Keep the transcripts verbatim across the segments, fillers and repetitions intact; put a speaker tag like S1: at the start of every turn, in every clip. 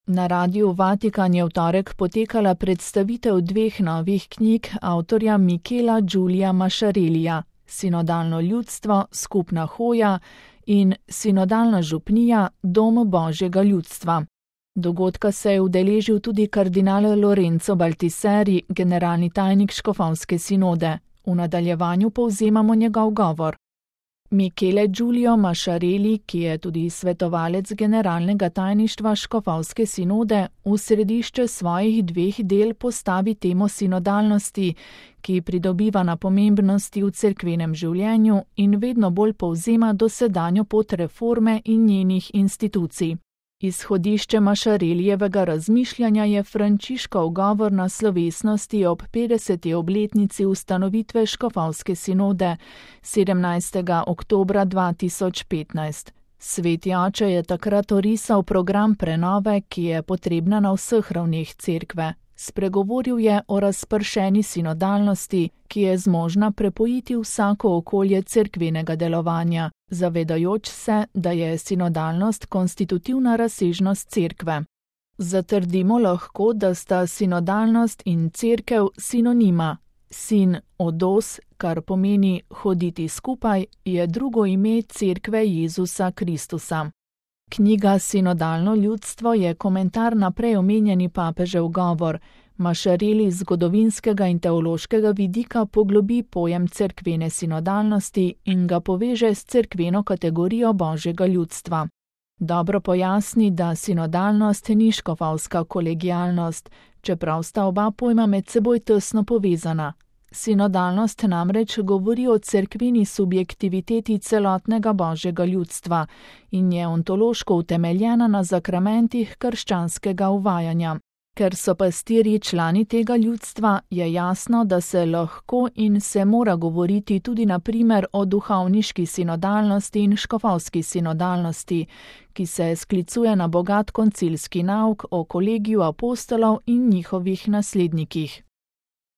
S1: Na Radiu Vatikan je v torek potekala predstavitev dveh novih knjig avtorja Michela Giulia Masciarellija, Sinodalno ljudstvo, skupna hoja in Sinodalna župnija, dom Božjega ljudstva. Dogodka se je udeležil tudi kardinal Lorenzo Baltiseri, generalni tajnik škofovske sinode. V nadaljevanju povzemamo njegov govor. Michele Giulio Masciarelli, ki je tudi svetovalec generalnega tajništva škofovske sinode, v središče svojih dveh del postavi temo sinodalnosti, ki pridobiva na pomembnosti v cerkvenem življenju in vedno bolj povzema dosedanjo pot reforme in njenih institucij. Izhodišče Masciarellijevega razmišljanja je Frančiškov govor na slovesnosti ob petdeseti obletnici ustanovitve škofovske sinode sedemnajstega oktobra dva tisoč petnajst. Sveti oče je takrat orisal program prenove, ki je potrebna na vseh ravneh cerkve. Spregovoril je o razpršeni sinodalnosti, ki je zmožna prepojiti vsako okolje cerkvenega delovanja, zavedajoč se, da je sinodalnost konstitutivna razsežnost cerkve. Zatrdimo lahko, da sta sinodalnost in cerkev sinonima. Sin odos, kar pomeni hoditi skupaj, je drugo ime cerkve Jezusa Kristusa. Knjiga Sinodalno ljudstvo je komentar na prej omenjeni papežev govor. Masciarelli z zgodovinskega in teološkega vidika poglobi pojem cerkvene sinodalnosti in ga poveže s cerkveno kategorijo Božjega ljudstva. Dobro pojasni, da sinodalnost ni škofovska kolegialnost, čeprav sta oba pojma med seboj tesno povezana. Sinodalnost namreč govori o cerkveni subjektiviteti celotnega Božjega ljudstva in je ontološko utemeljena na zakramentih krščanskega uvajanja. Ker so pastirji člani tega ljudstva, je jasno, da se lahko in se mora govoriti tudi na primer o duhovniški sinodalnosti in škofovski sinodalnosti, ki se sklicuje na bogat koncilski nauk o kolegiju apostolov in njihovih naslednikih.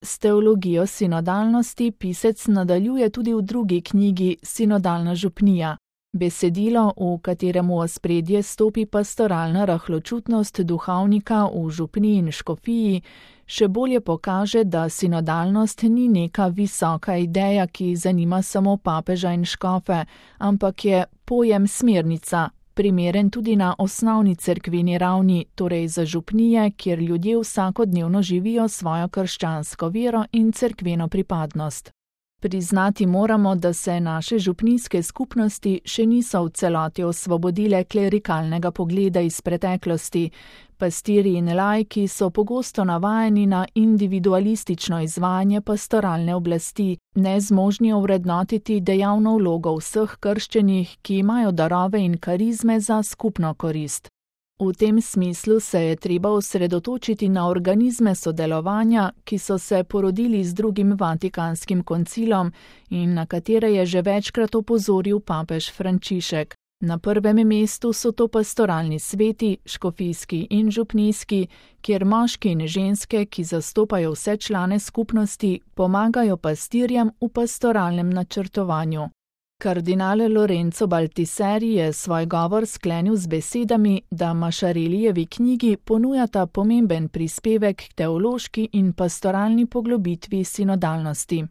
S1: S teologijo sinodalnosti pisec nadaljuje tudi v drugi knjigi Sinodalna župnija. Besedilo, v katerem v ospredje stopi pastoralna rahločutnost duhovnika v župniji in škofiji, še bolje pokaže, da sinodalnost ni neka visoka ideja, ki zanima samo papeža in škofe, ampak je pojem smernica, primeren tudi na osnovni cerkveni ravni, torej za župnije, kjer ljudje vsakodnevno živijo svojo krščansko vero in cerkveno pripadnost. Priznati moramo, da se naše župnijske skupnosti še niso v celoti osvobodile klerikalnega pogleda iz preteklosti. Pastirji in laiki so pogosto navajeni na individualistično izvajanje pastoralne oblasti, nezmožni ovrednotiti dejavno vlogo vseh krščenih, ki imajo darove in karizme za skupno korist. V tem smislu se je treba osredotočiti na organizme sodelovanja, ki so se porodili z drugim Vatikanskim koncilom in na katere je že večkrat opozoril papež Frančišek. Na prvem mestu so to pastoralni sveti, škofijski in župnijski, kjer moški in ženske, ki zastopajo vse člane skupnosti, pomagajo pastirjem v pastoralnem načrtovanju. Kardinal Lorenzo Baltiseri je svoj govor sklenil z besedami, da Masciarellijevi knjigi ponujata pomemben prispevek k teološki in pastoralni poglobitvi sinodalnosti.